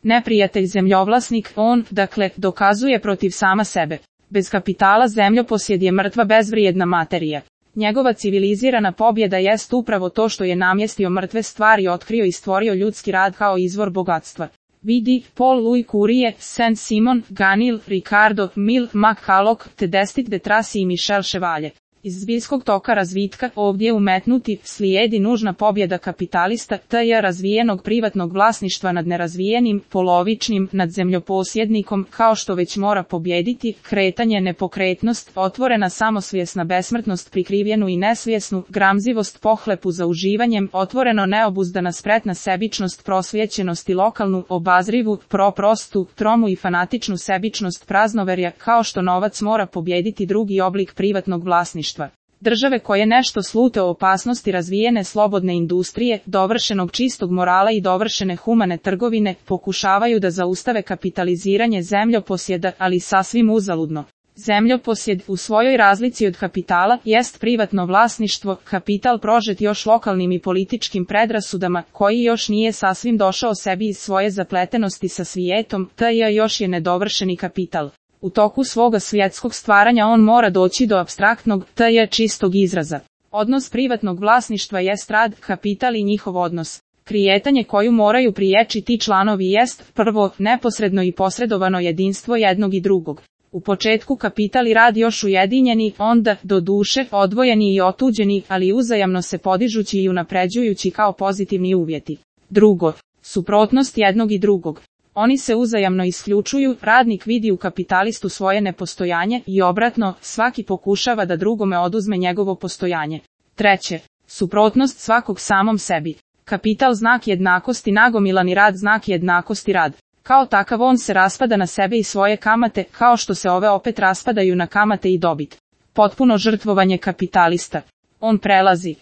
neprijatelj zemljovlasnik, on, dakle, dokazuje protiv sama sebe. Bez kapitala zemljoposjed je mrtva bezvrijedna materija. Njegova civilizirana pobjeda jest upravo to što je namjestio mrtve stvari, otkrio i stvorio ljudski rad kao izvor bogatstva. Vidi, Paul Louis Curie, Saint-Simon, Ganil, Ricardo, Mill, McCulloch, Tedestit de Tracy i Michel Chevalier. Iz zbiljskog toka razvitka ovdje umetnuti slijedi nužna pobjeda kapitalista, t.j. razvijenog privatnog vlasništva nad nerazvijenim, polovičnim, nad zemljoposjednikom, kao što već mora pobjediti, kretanje, nepokretnost, otvorena samosvjesna besmrtnost, prikrivljenu i nesvjesnu, gramzivost, pohlepu za uživanjem, otvoreno neobuzdana spretna sebičnost, prosvjećenost i lokalnu, obazrivu, prostu, tromu i fanatičnu sebičnost praznoverja, kao što novac mora pobjediti drugi oblik privatnog vlasništva. Države koje nešto slute o opasnosti razvijene slobodne industrije, dovršenog čistog morala i dovršene humane trgovine, pokušavaju da zaustave kapitaliziranje zemljoposjeda, ali sasvim uzaludno. Zemljoposjed, u svojoj razlici od kapitala, jest privatno vlasništvo, kapital prožet još lokalnim i političkim predrasudama, koji još nije sasvim došao sebi iz svoje zapletenosti sa svijetom, t.j. još je nedovršeni kapital. U toku svoga svjetskog stvaranja on mora doći do apstraktnog, t.j. čistog izraza. Odnos privatnog vlasništva jest rad, kapital i njihov odnos. Krijetanje koju moraju prijeći ti članovi jest, prvo, neposredno i posredovano jedinstvo jednog i drugog. U početku kapital i rad još ujedinjeni, onda, do duše, odvojeni i otuđeni, ali uzajamno se podižući i unapređujući kao pozitivni uvjeti. Drugo, suprotnost jednog i drugog. Oni se uzajamno isključuju, radnik vidi u kapitalistu svoje nepostojanje i obratno, svaki pokušava da drugome oduzme njegovo postojanje. Treće, suprotnost svakog samom sebi. Kapital znak jednakosti, nagomilani rad znak jednakosti rad. Kao takav on se raspada na sebe i svoje kamate, kao što se ove opet raspadaju na kamate i dobit. Potpuno žrtvovanje kapitalista. On prelazi